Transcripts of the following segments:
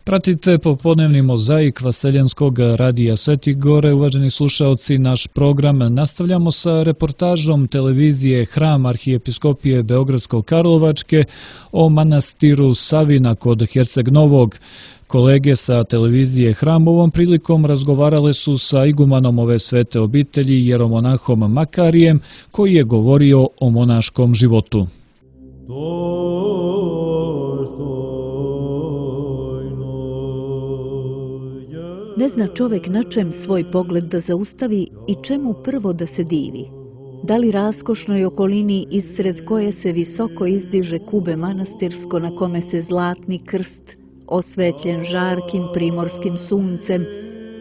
Pratite popodnevni mozaik Vaseljenskog radija Sveti Gore. Uvaženi slušaoci, naš program nastavljamo sa reportažom televizije Hram Arhijepiskopije Beogradsko-Karlovačke o manastiru Savina kod Herceg Novog. Kolege sa televizije Hram ovom prilikom razgovarale su sa igumanom ove svete obitelji, jeromonahom Makarijem, koji je govorio o monaškom životu. Ne zna čovek na čem svoj pogled da zaustavi i čemu prvo da se divi. Da li raskošnoj okolini isred koje se visoko izdiže kube manastirsko na kome se zlatni krst, osvetljen žarkim primorskim suncem,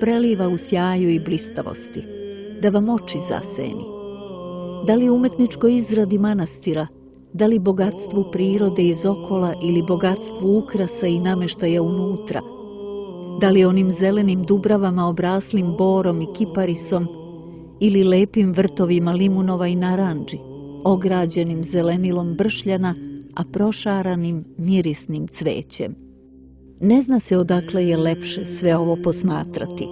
preliva u sjaju i blistavosti, da vam oči zaseni. Da li umetničkoj izradi manastira, da li bogatstvu prirode iz okola ili bogatstvu ukrasa i nameštaja unutra, da li onim zelenim dubravama obraslim borom i kiparisom ili lepim vrtovima limunova i narandži, ograđenim zelenilom bršljana, a prošaranim mirisnim cvećem. Ne zna se odakle je lepše sve ovo posmatrati.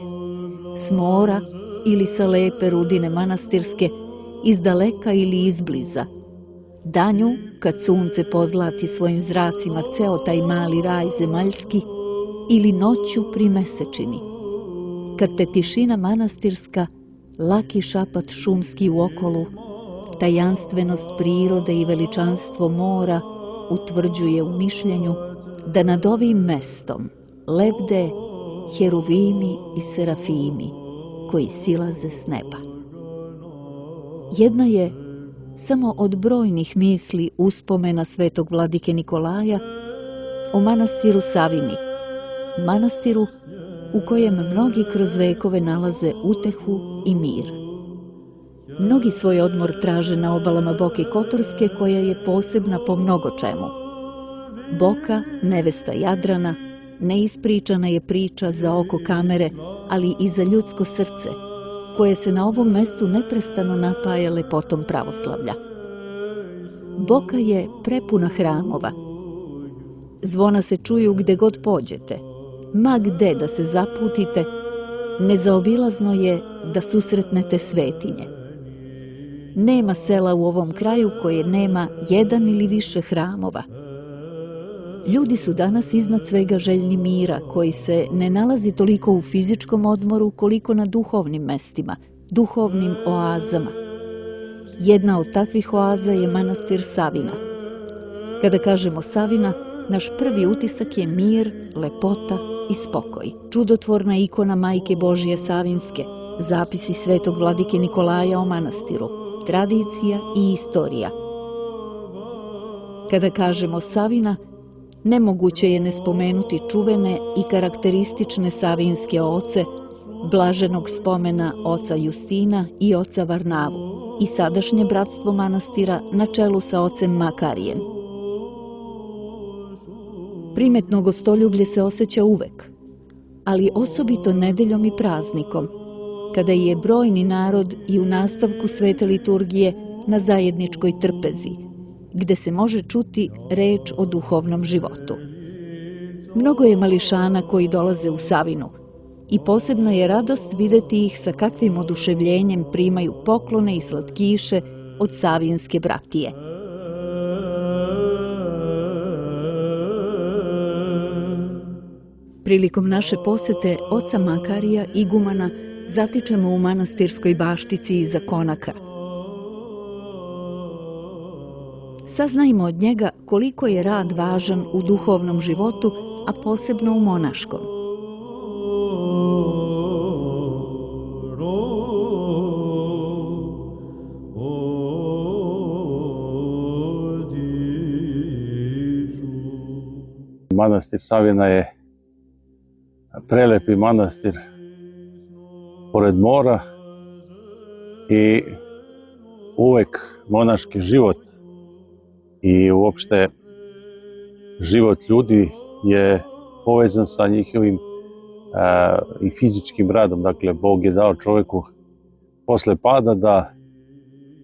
S mora ili sa lepe rudine manastirske, iz daleka ili izbliza. Danju, kad sunce pozlati svojim zracima ceo taj mali raj zemaljski, ili noću pri mesečini, kad te tišina manastirska, laki šapat šumski u okolu, tajanstvenost prirode i veličanstvo mora utvrđuje u mišljenju da nad ovim mestom lebde heruvimi i serafimi koji silaze s neba. Jedna je samo od brojnih misli uspomena svetog vladike Nikolaja o manastiru Savini, manastiru u kojem mnogi kroz vekove nalaze utehu i mir. Mnogi svoj odmor traže na obalama Boke Kotorske, koja je posebna po mnogo čemu. Boka, nevesta Jadrana, neispričana je priča za oko kamere, ali i za ljudsko srce, koje se na ovom mestu neprestano napaja lepotom pravoslavlja. Boka je prepuna hramova. Zvona se čuju gde god pođete. Ma gde da se zaputite, nezaobilazno je da susretnete svetinje. Nema sela u ovom kraju koje nema jedan ili više hramova. Ljudi su danas iznad svega željni mira, koji se ne nalazi toliko u fizičkom odmoru koliko na duhovnim mestima, duhovnim oazama. Jedna od takvih oaza je manastir Savina. Kada kažemo Savina, naš prvi utisak je mir, lepota i spokoj. Čudotvorna ikona Majke Božije Savinske, zapisi svetog vladike Nikolaja o manastiru, tradicija i istorija. Kada kažemo Savina, nemoguće je ne spomenuti čuvene i karakteristične savinske oce, blaženog spomena oca Justina i oca Varnavu i sadašnje bratstvo manastira na čelu sa ocem Makarijem. Primetno gostoljublje se osjeća uvek, ali osobito nedeljom i praznikom, kada je brojni narod i u nastavku svete liturgije na zajedničkoj trpezi, gde se može čuti reč o duhovnom životu. Mnogo je mališana koji dolaze u Savinu i posebna je radost videti ih sa kakvim oduševljenjem primaju poklone i slatkiše od savinske bratije. Prilikom naše posete oca Makarija igumana zatičemo u manastirskoj baštici iza konaka. Saznajmo od njega koliko je rad važan u duhovnom životu, a posebno u monaškom. Manastir Savina je prelepi manastir pored mora i uvek monaški život i uopšte život ljudi je povezan sa njihovim i fizičkim radom. Dakle, Bog je dao čoveku posle pada da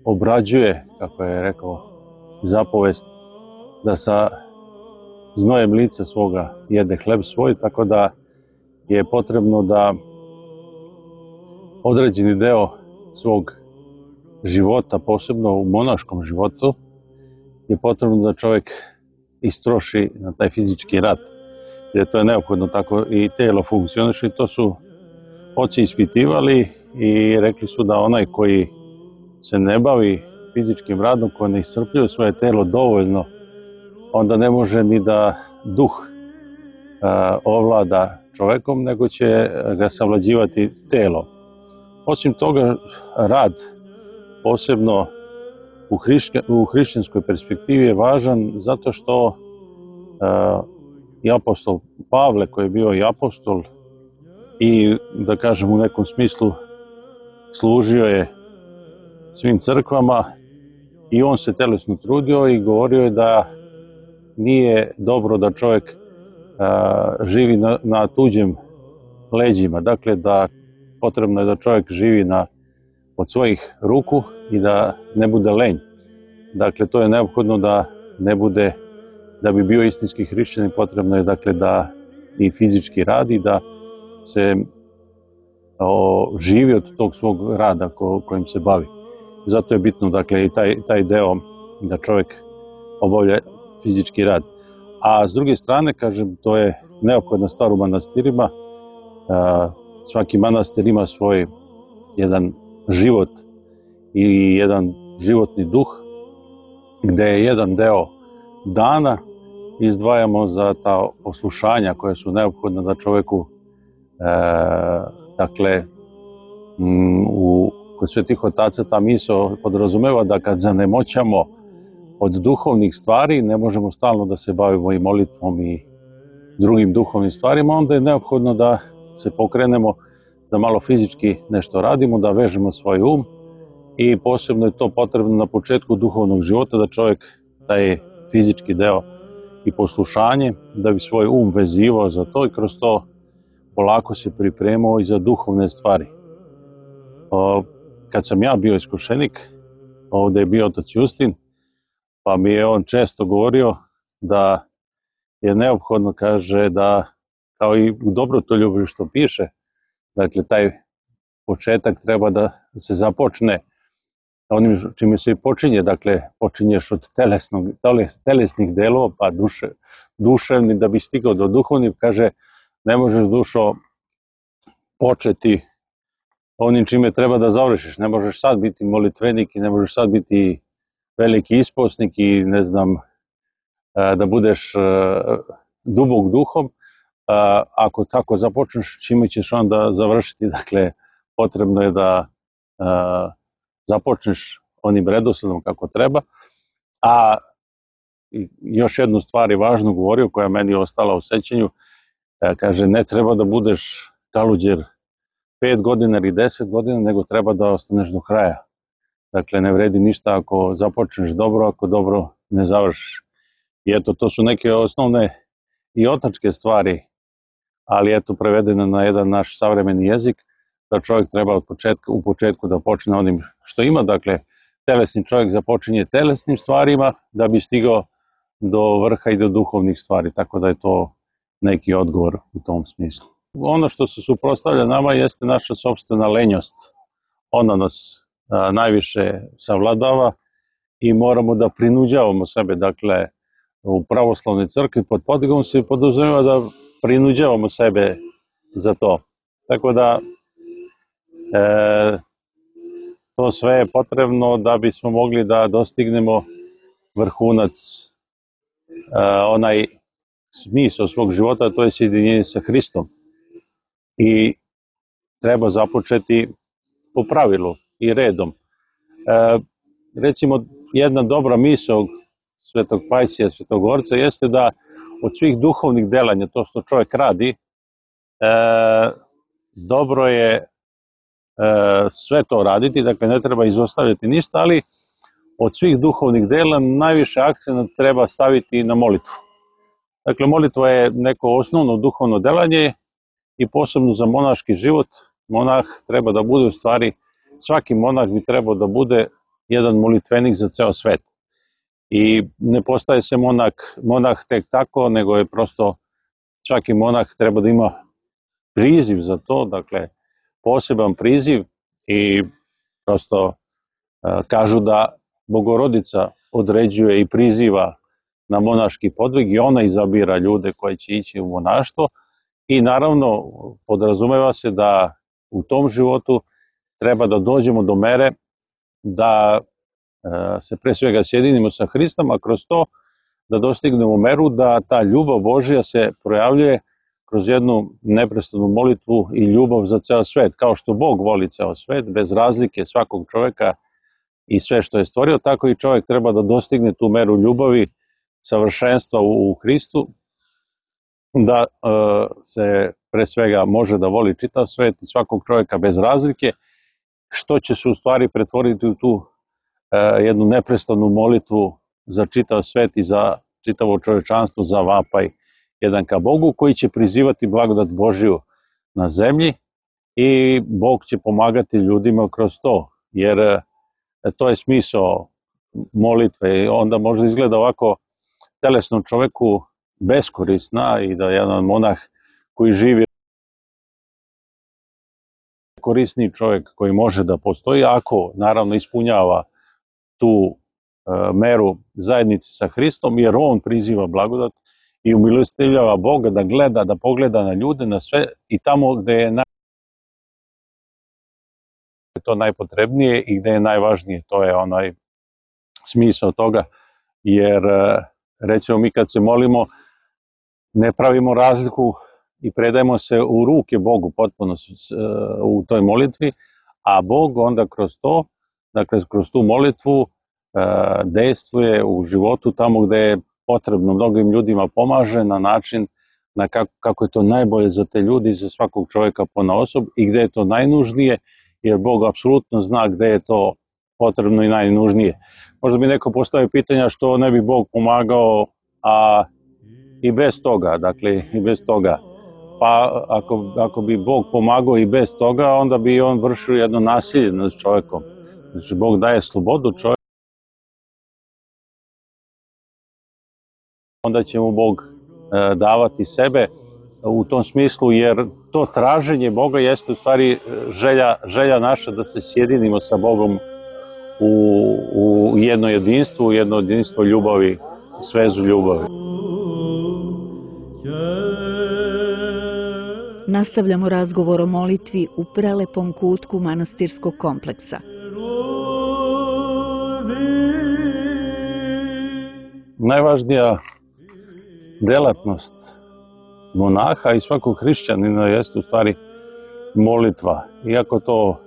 obrađuje, kako je rekao zapovest, da sa znojem lica svoga jede hleb svoj, tako da je potrebno da određeni deo svog života, posebno u monaškom životu, je potrebno da čovjek istroši na taj fizički rad. Jer to je neophodno, tako i telo funkcioniše i to su oci ispitivali i rekli su da onaj koji se ne bavi fizičkim radom, koji ne iscrpljuje svoje telo dovoljno, onda ne može ni da duh ovlada čovjekom, nego će ga savlađivati telo. Osim toga, rad, posebno u hrišćanskoj perspektivi, je važan zato što i apostol Pavle, koji je bio i apostol i, da kažem, u nekom smislu služio je svim crkvama, i on se telesno trudio i govorio je da nije dobro da čovjek živi na tuđem leđima. Dakle, da potrebno je da čovjek živi od svojih ruku i da ne bude lenj. Dakle, to je neophodno da ne bude, da bi bio istinski hrišćanin, potrebno je, dakle, da i fizički radi, da se živi od tog svog rada kojim se bavi. Zato je bitno, dakle, i taj deo da čovjek obavlja fizički rad. A s druge strane, kažem, to je neophodna stvar u manastirima. Svaki manastir ima svoj jedan život i jedan životni duh, gde je jedan deo dana izdvajamo za ta poslušanja koja su neophodna da čovjeku, dakle, kod svetih otaca ta misao podrazumeva da kad zanemoćamo od duhovnih stvari, ne možemo stalno da se bavimo i molitvom i drugim duhovnim stvarima, onda je neophodno da se pokrenemo, da malo fizički nešto radimo, da vežemo svoj um, i posebno je to potrebno na početku duhovnog života, da čovjek taj fizički deo i poslušanje, da bi svoj um vezivao za to i kroz to polako se pripremao i za duhovne stvari. Kad sam ja bio iskušenik, ovdje je bio otac Justin, pa mi je on često govorio da je neophodno, kaže, da kao i u Dobrotoljublju što piše, dakle, taj početak treba da se započne onim čime se i počinje, dakle, počinješ od telesnih delova, pa duševni, da bi stigao do duhovnih, kaže, ne možeš, dušo, početi onim čime treba da završiš. Ne možeš sad biti molitvenik i ne možeš sad biti veliki isposnik i ne znam, da budeš dubok duhom. Ako tako započneš, čime ćeš onda završiti? Dakle, potrebno je da započneš onim redosledom kako treba. A još jednu stvar je važno govorio, koja meni je ostala u sećanju. Kaže, ne treba da budeš kaluđer 5 godina ili 10 godina, nego treba da ostaneš do kraja. Dakle, ne vredi ništa ako započneš dobro, ako dobro ne završiš. I eto, to su neke osnovne i otačke stvari, ali eto, prevedeno na jedan naš savremeni jezik, da čovjek treba u početku da počne onim što ima. Dakle, telesni čovjek započinje telesnim stvarima da bi stigao do vrha i do duhovnih stvari, tako da je to neki odgovor u tom smislu. Ono što se suprotstavlja nama jeste naša sopstvena lenjost. Ona nas najviše savladava i moramo da prinuđavamo sebe. Dakle, u pravoslavnoj crkvi pod podigom se podrazumeva da prinuđavamo sebe za to. Tako da to sve je potrebno da bismo mogli da dostignemo vrhunac, onaj smisao svog života, to je sjedinjenje sa Hristom. I treba započeti po pravilu i redom. Recimo, jedna dobra misao Svetog Pajsija, Svetogorca, jeste da od svih duhovnih delanja, to što čovjek radi, dobro je sve to raditi, dakle ne treba izostavljati ništa, ali od svih duhovnih dela najviše akcenat treba staviti na molitvu. Dakle, molitva je neko osnovno duhovno delanje i posebno za monaški život. Monah treba da bude, u stvari, svaki monah bi trebao da bude jedan molitvenik za ceo svet. I ne postaje se monah tek tako, nego je prosto svaki monah treba da ima priziv za to, dakle poseban priziv i prosto kažu da Bogorodica određuje i priziva na monaški podvig i ona izabira ljude koji će ići u monaštvo i naravno podrazumeva se da u tom životu treba da dođemo do mere da se pre svega sjedinimo sa Hristom, a kroz to da dostignemo meru da ta ljubav Božja se projavljuje kroz jednu neprestanu molitvu i ljubav za ceo svet. Kao što Bog voli ceo svet, bez razlike svakog čoveka i sve što je stvorio, tako i čovjek treba da dostigne tu meru ljubavi, savršenstva u Hristu, da se pre svega može da voli čitav svet i svakog čovjeka bez razlike, što će se u stvari pretvoriti u tu jednu neprestanu molitvu za čitav svet i za čitavo čovečanstvo, za vapaj jedan ka Bogu, koji će prizivati blagodat Božju na zemlji i Bog će pomagati ljudima kroz to, jer to je smisao molitve i onda možda izgleda ovako telesnom čoveku beskorisna i da jedan monah koji živi korisni čovjek koji može da postoji, ako naravno ispunjava tu meru zajednice sa Hristom, jer on priziva blagodat i umilostivljava Boga da gleda, da pogleda na ljude, na sve i tamo gde je to najpotrebnije i gde je najvažnije. To je onaj smisao toga, jer recimo mi kad se molimo ne pravimo razliku i predajemo se u ruke Bogu potpuno u toj molitvi, a Bog onda kroz to, dakle kroz tu molitvu dejstvuje u životu tamo gde je potrebno, mnogim ljudima pomaže na način na kako je to najbolje za te ljudi, za svakog čovjeka ponaosob i gde je to najnužnije, jer Bog apsolutno zna gde je to potrebno i najnužnije. Možda bi neko postavio pitanja što ne bi Bog pomagao, a i bez toga, dakle i bez toga. Pa ako bi Bog pomagao i bez toga, onda bi on vršio jedno nasilje nad čovjekom. Znači Bog daje slobodu čovjeku, onda će mu Bog davati sebe u tom smislu, jer to traženje Boga jeste u stvari želja naša da se sjedinimo sa Bogom u jedno jedinstvo ljubavi, svezu ljubavi. Nastavljamo razgovor o molitvi u prelepom kutku manastirskog kompleksa. Najvažnija delatnost monaha i svakog hrišćanina jeste u stvari molitva. Iako to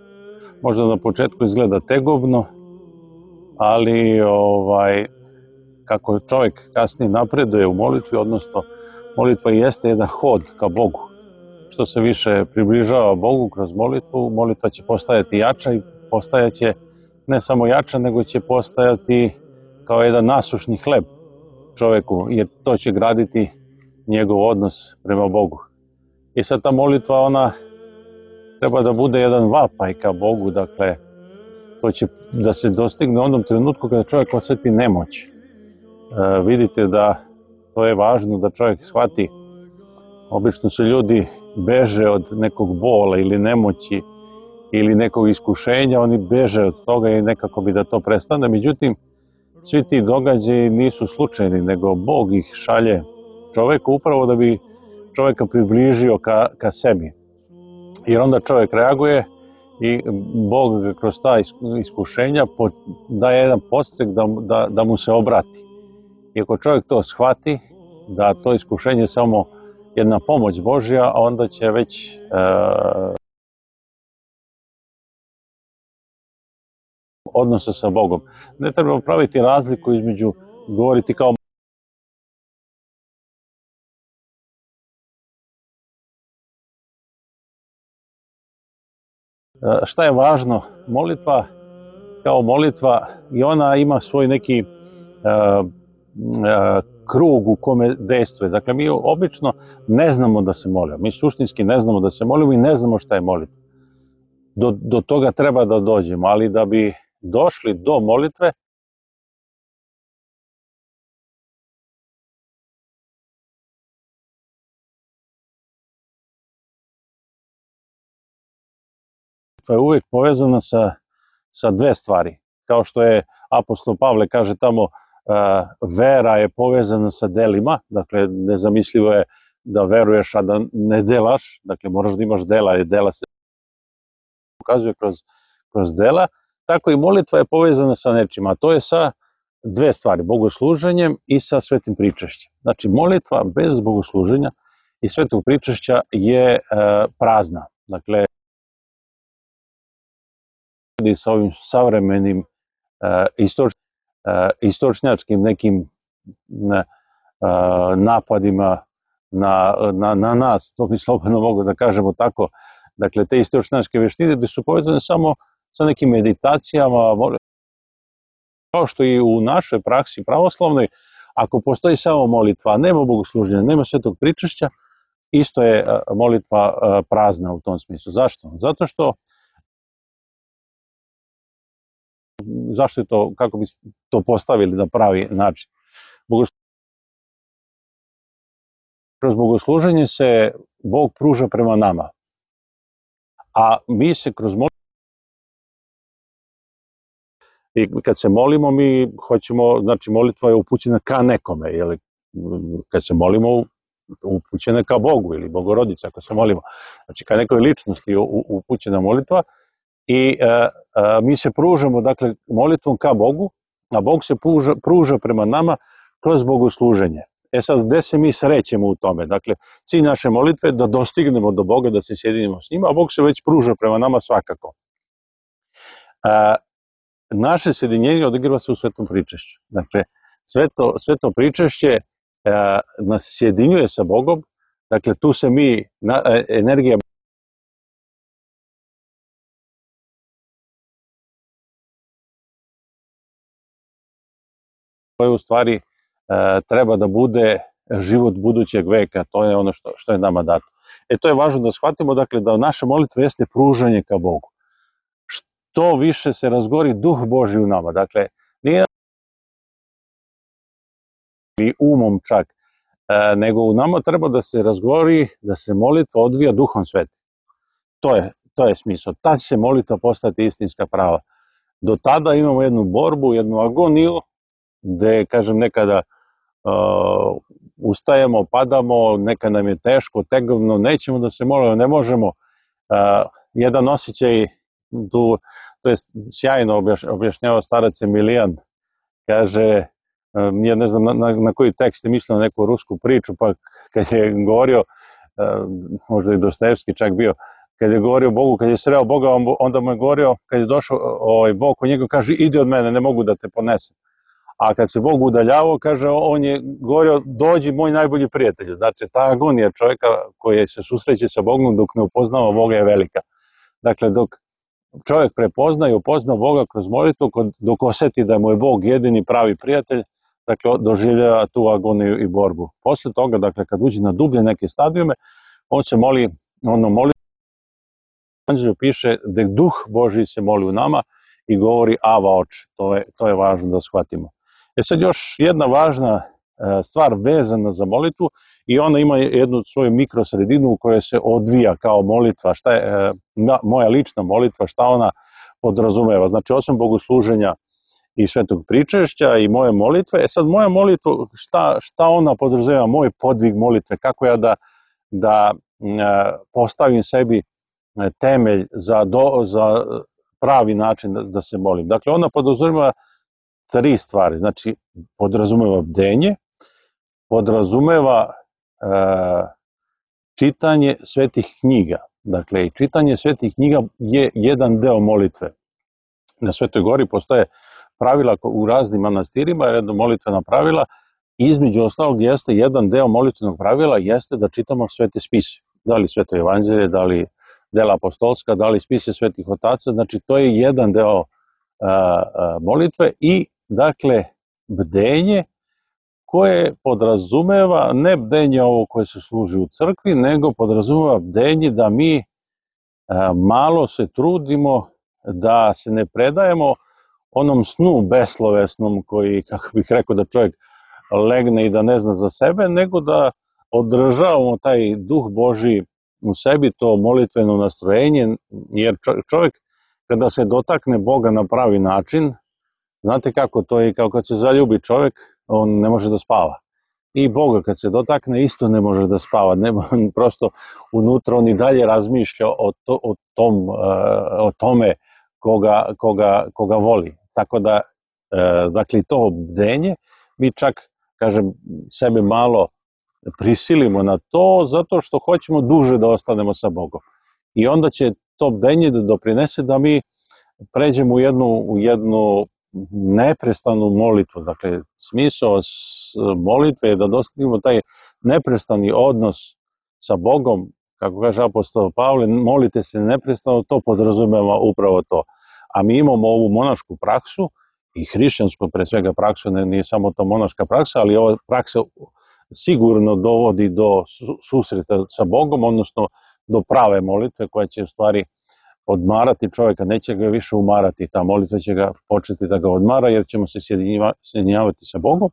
možda na početku izgleda tegobno, ali kako čovjek kasnije napreduje u molitvi, odnosno molitva jeste jedan hod ka Bogu. Što se više približava Bogu kroz molitvu, molitva će postajati jača i postajaće ne samo jača, nego će postajati kao jedan nasušni hleb čoveku, jer to će graditi njegov odnos prema Bogu. I sad ta molitva, ona treba da bude jedan vapaj ka Bogu, dakle, to će da se dostigne u onom trenutku kada čovjek osjeti nemoć. Vidite da to je važno da čovjek shvati. Obično se ljudi beže od nekog bola ili nemoći ili nekog iskušenja, oni beže od toga i nekako bi da to prestane. Međutim, svi ti događaji nisu slučajni, nego Bog ih šalje čoveku upravo da bi čoveka približio ka sebi. Jer onda čovjek reaguje i Bog ga kroz ta iskušenja daje jedan podstrek da mu se obrati. I ako čovjek to shvati, da to iskušenje je samo jedna pomoć Božja, onda će već odnose sa Bogom. Ne treba praviti razliku između govoriti kao šta je važno? Molitva kao molitva i ona ima svoj neki krug u kome dejstvuje. Dakle, mi obično ne znamo da se molimo. Mi suštinski ne znamo da se molimo i ne znamo šta je molitva. Do toga treba da dođemo, ali da bi došli do molitve, molitva je uvek povezana sa dve stvari. Kao što je apostol Pavle kaže tamo, vera je povezana sa delima, dakle nezamislivo je da veruješ a da ne delaš, dakle moraš da imaš dela i dela se pokazuje kroz dela, tako i molitva je povezana sa nečim, a to je sa dve stvari, bogosluženjem i sa svetim pričašćem. Znači molitva bez bogosluženja i svetog pričašća je prazna, dakle sa ovim savremenim istočnjačkim nekim napadima na nas, to bi slobodno mogu da kažemo tako, dakle te istočnjačke veštine gde su povezane samo sa nekim meditacijama, kao što i u našoj praksi pravoslavnoj, ako postoji samo molitva, nema bogosluženja, nema svetog pričašća, isto je molitva prazna u tom smislu. Zašto? Zato što zašto je to, kako bi to postavili na pravi način? Kroz bogosluženje se Bog pruža prema nama, a mi se kroz molitvu, i kad se molimo, mi hoćemo, znači molitva je upućena ka nekome, jer kad se molimo, upućena je ka Bogu ili Bogorodici, ako se molimo, znači ka nekoj ličnosti upućena molitva, i mi se pružamo, dakle, molitvom ka Bogu, a Bog se pruža prema nama kroz bogosluženje. E sad, gde se mi srećemo u tome? Dakle, cilj naše molitve je da dostignemo do Boga, da se sjedinimo s njima, a Bog se već pruža prema nama svakako. Naše sjedinjenje odigrava se u svetom pričašću. Dakle, sveto pričašće nas sjedinjuje sa Bogom, dakle, tu se mi, energija koje u stvari treba da bude život budućeg veka, to je ono što je nama dato. To je važno da shvatimo, dakle, da naša molitva jeste pružanje ka Bogu. Što više se razgori Duh Božji u nama, dakle, nije i umom čak, nego u nama treba da se razgori, da se molitva odvija Duhom Svetim. To je smisao. Tad će molitva postati istinska prava. Do tada imamo jednu borbu, jednu agoniju, gde, kažem, nekada ustajemo, padamo, nekada nam je teško, tegovno, nećemo da se molimo, ne možemo. Jedan osjećaj, to je sjajno objašnjava starac Emilijan, kaže, ja ne znam na koji tekst je mislio, na neku rusku priču, pa kad je govorio, možda i Dostojevski čak bio, kad je govorio Bogu, kad je sreo Boga, onda mu je govorio, kad je došao Bog kod njega, kaže, idi od mene, ne mogu da te ponesem. A kad se Bog udaljavao, kaže, on je govorio, dođi moj najbolji prijatelj. Znači, ta agonija čovjeka koji se susreće sa Bogom dok ne upoznava Boga je velika. Dakle, dok čovjek prepozna i upozna Boga kroz molitvu, dok osjeti da mu je Bog jedini pravi prijatelj, dakle, doživljava tu agoniju i borbu. Posle toga, dakle, kad uđe na dublje neke stadijume, on se moli, Evanđelju piše da Duh Božji se moli u nama i govori Ava Oče. To je važno da shvatimo. Sad još jedna važna stvar vezana za molitvu, i ona ima jednu svoju mikrosredinu u kojoj se odvija kao molitva, šta je moja lična molitva, šta ona podrazumeva. Znači, osim bogosluženja i svetog pričašća i moje molitve, sad moja molitva, šta ona podrazumeva, moj podvig molitve, kako ja da postavim sebi temelj za pravi način da se molim. Dakle, ona podrazumeva tri stvari, znači podrazumeva bdenje, podrazumeva čitanje svetih knjiga. Dakle, čitanje svetih knjiga je jedan deo molitve. Na Svetoj Gori postoje pravila u raznim manastirima, jedno molitvena pravila, između ostalog jeste jedan deo molitvenog pravila, jeste da čitamo svete spise. Da li Sveto Evanđelje, da li dela apostolska, da li spise svetih otaca, znači to je jedan deo molitve i, dakle, bdenje koje podrazumeva ne bdenje ovo koje se služi u crkvi, nego podrazumeva bdenje da mi malo se trudimo da se ne predajemo onom snu beslovesnom koji, kako bih rekao, da čovjek legne i da ne zna za sebe, nego da održavamo taj Duh Božji u sebi to molitveno nastrojenje, jer čovjek kada se dotakne Boga na pravi način, znate kako to je, kao kad se zaljubi čovjek, on ne može da spava. I Boga kad se dotakne isto ne može da spava, prosto unutra on i dalje razmišlja o tome koga voli. Tako da, dakle, to bdenje, mi čak, kažem, sebe malo prisilimo na to zato što hoćemo duže da ostanemo sa Bogom. I onda će to bdenje da doprinese da mi pređemo u jednu neprestanu molitvu. Dakle, smisao molitve je da dostignemo taj neprestani odnos sa Bogom, kako kaže apostol Pavle, molite se neprestano, to podrazumeva upravo to. A mi imamo ovu monašku praksu i hrišćansku pre svega praksu, nije samo to monaška praksa, ali ova praksa sigurno dovodi do susreta sa Bogom, odnosno do prave molitve koja će u stvari odmarati čovjeka, neće ga više umarati, ta molitva će ga početi da ga odmara jer ćemo se sjedinjavati sa Bogom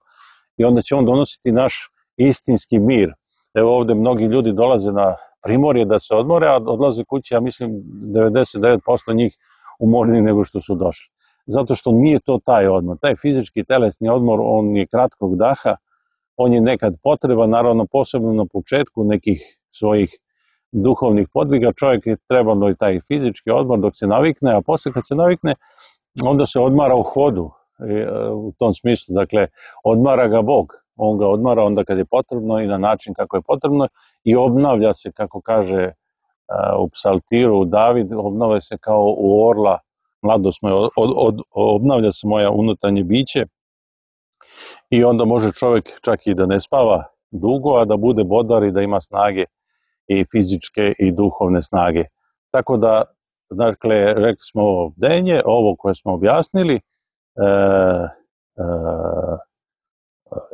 i onda će on donositi naš istinski mir. Evo ovde mnogi ljudi dolaze na primorje da se odmore, a odlaze kući, ja mislim 99% njih umorniji nego što su došli. Zato što nije to taj odmor. Taj fizički telesni odmor, on je kratkog daha, on je nekad potreban, naravno posebno na početku nekih svojih duhovnih podviga, čovjek je trebalo i taj fizički odmor dok se navikne, a posle kad se navikne, onda se odmara u hodu, u tom smislu, dakle, odmara ga Bog, on ga odmara onda kad je potrebno i na način kako je potrebno i obnavlja se, kako kaže u psaltiru David, obnavlja se kao u orla, mladost moja, obnavlja se moja unutarnje biće i onda može čovjek čak i da ne spava dugo, a da bude bodar i da ima snage i fizičke i duhovne snage. Tako da, dakle, rekli smo ovo bdenje, ovo koje smo objasnili,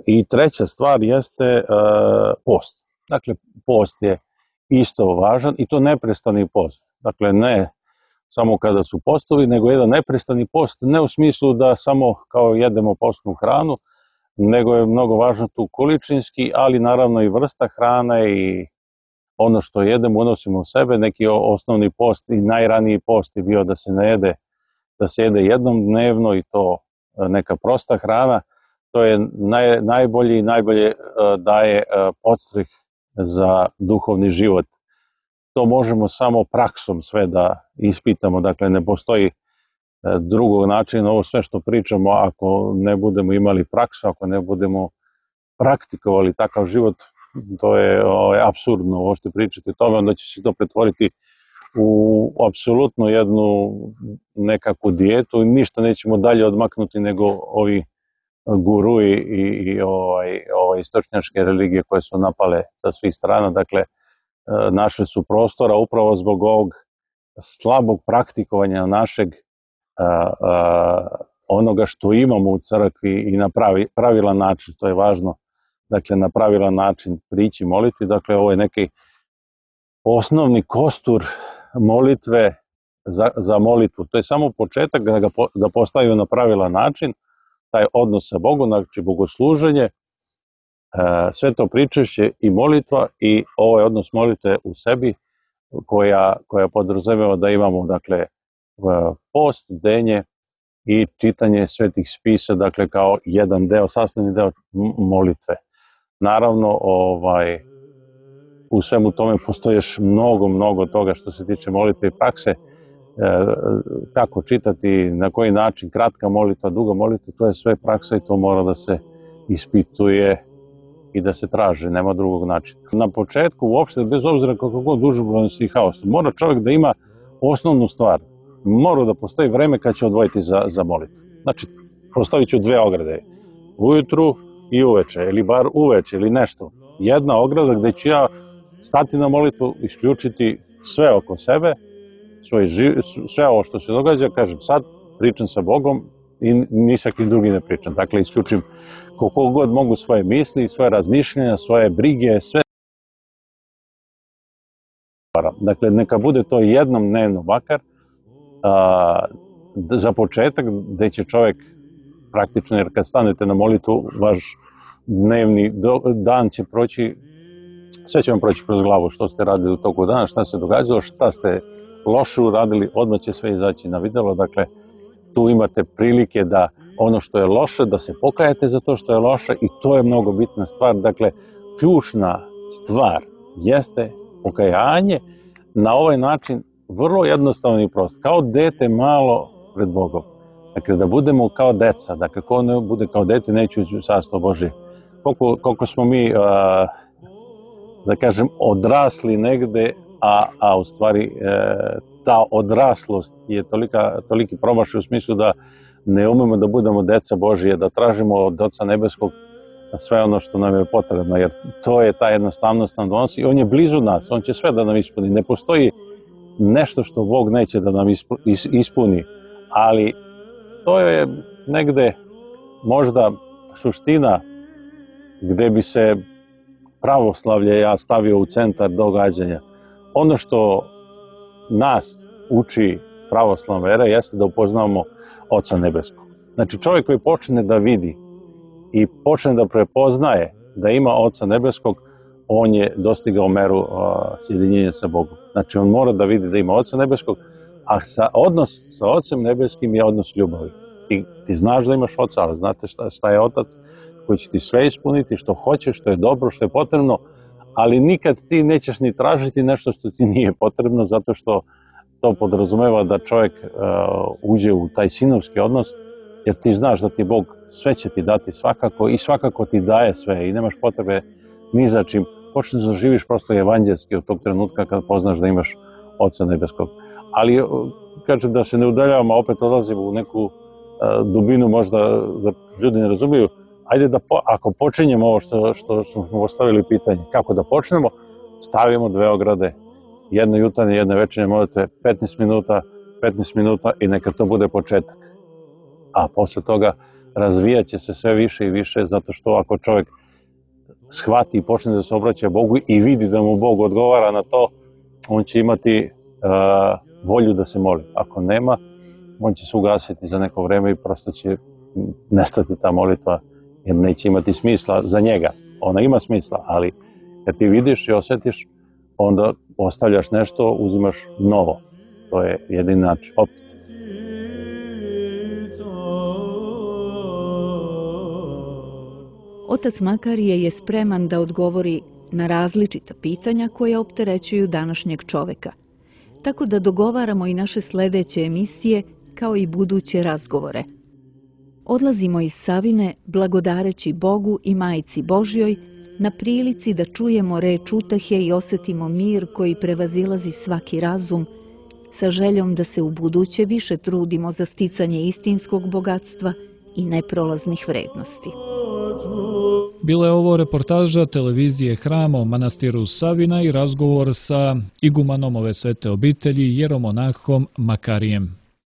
i treća stvar jeste post. Dakle, post je isto važan i to neprestani post. Dakle, ne samo kada su postovi, nego jedan neprestani post, ne u smislu da samo kao jedemo postnu hranu, nego je mnogo važno tu količinski, ali naravno i vrsta hrane i ono što jedemo, unosimo u sebe. Neki osnovni post i najraniji post je bio da se jede jednom dnevno i to neka prosta hrana. To je najbolji i najbolje daje podstrek za duhovni život. To možemo samo praksom sve da ispitamo, dakle ne postoji drugog načina. Ovo sve što pričamo, ako ne budemo imali praksu, ako ne budemo praktikovali takav život, to je apsurdno ovo što pričate o tome, onda će se to pretvoriti u apsolutno jednu nekakvu dijetu i ništa nećemo dalje odmaknuti nego ovi gurui i istočnjačke religije koje su napale sa svih strana. Dakle, našli su prostora upravo zbog ovog slabog praktikovanja našeg onoga što imamo u crkvi i na pravilan način, to je važno. Dakle, na pravilan način prići molitvi. Dakle, ovo je neki osnovni kostur molitve za molitvu. To je samo početak da postavimo na pravilan način taj odnos sa Bogom, znači bogosluženje, sve to pričešće i molitva i ovaj odnos molitve u sebi koja podrazumeva da imamo, dakle, post, bdenje i čitanje svetih spisa, dakle, kao jedan deo, sastavni deo molitve. Naravno, u svemu tome postoji još mnogo toga što se tiče molitve i prakse, kako čitati, na koji način, kratka molitva, duga molitva, to je sve praksa i to mora da se ispituje i da se traži, nema drugog načina. Na početku, uopšte, bez obzira kako god užurbanost i haos, mora čovjek da ima osnovnu stvar. Mora da postoji vreme kad će odvojiti za molitvu. Znači, postavit ću 2 ograde. Ujutru i uveče, ili bar uveče, ili nešto. Jedna ograda gde ću ja stati na molitvu, isključiti sve oko sebe, sve ovo što se događa, kažem sad, pričam sa Bogom i ni sa kim drugi ne pričam. Dakle, isključim koliko god mogu svoje misli, svoje razmišljanja, svoje brige, sve. Dakle, neka bude to jednom dnevno makar, za početak, gde će čovjek praktično, jer kad stanete na molitvu, vaš dnevni dan će proći sve će vam proći kroz glavu što ste radili u toku dana, šta se događalo, šta ste loše uradili, odmah će sve izaći na videlo. Dakle, tu imate prilike da ono što je loše, da se pokajete za to što je loše i to je mnogo bitna stvar. Dakle, ključna stvar jeste pokajanje na ovaj način vrlo jednostavno i prosto. Kao dete malo pred Bogom. Dakle, da budemo kao deca. Dakle, ko ne bude kao dete, neće ući u carstvo Božje. Koliko smo mi, da kažem, odrasli negde, a u stvari ta odraslost je toliki promašaj u smislu da ne umemo da budemo deca Božije, da tražimo od Oca Nebeskog sve ono što nam je potrebno, jer to je ta jednostavnost nam donosi i on je blizu nas, on će sve da nam ispuni. Ne postoji nešto što Bog neće da nam ispuni, ali to je negde možda suština gde bi se pravoslavlje ja stavio u centar događanja. Ono što nas uči pravoslavna vera jeste da upoznamo Oca Nebeskog. Znači čovjek koji počne da vidi i počne da prepoznaje da ima Oca Nebeskog, on je dostigao meru sjedinjenja sa Bogom. Znači on mora da vidi da ima Oca Nebeskog, a odnos sa Ocem Nebeskim je odnos ljubavi. Ti znaš da imaš Oca, ali znate šta je Otac koji će ti sve ispuniti, što hoćeš, što je dobro, što je potrebno, ali nikad ti nećeš ni tražiti nešto što ti nije potrebno, zato što to podrazumeva da čovjek uđe u taj sinovski odnos, jer ti znaš da ti Bog sve će ti dati svakako i svakako ti daje sve i nemaš potrebe ni za čim. Počneš da živiš prosto evanđelski od tog trenutka kad poznaš da imaš Oca Nebeskog. Ali, kažem, da se ne udaljavamo, opet odlazimo u neku dubinu, možda da ljudi ne razumiju. Ajde da, ako počinjemo ovo što smo postavili pitanje, kako da počnemo, stavimo 2 ograde, jedno jutarnje, jedno večernje molitve, 15 minuta i neka to bude početak. A posle toga razvijat će se sve više i više, zato što ako čovjek shvati i počne da se obraća Bogu i vidi da mu Bog odgovara na to, on će imati volju da se moli. Ako nema, on će se ugasiti za neko vreme i prosto će nestati ta molitva, jer neće imati smisla za njega. Ona ima smisla, ali kad ti vidiš i osjetiš, onda ostavljaš nešto, uzimaš novo. To je jedini način. Opet. Otac Makarije je spreman da odgovori na različita pitanja koja opterećuju današnjeg čoveka. Tako da dogovaramo i naše sledeće emisije kao i buduće razgovore. Odlazimo iz Savine blagodareći Bogu i Majci Božjoj na prilici da čujemo reč utehe i osetimo mir koji prevazilazi svaki razum, sa željom da se u buduće više trudimo za sticanje istinskog bogatstva i neprolaznih vrednosti. Bila je ovo reportaža televizije Hram o manastiru Savina i razgovor sa igumanom ove svete obitelji, jeromonahom Makarijem.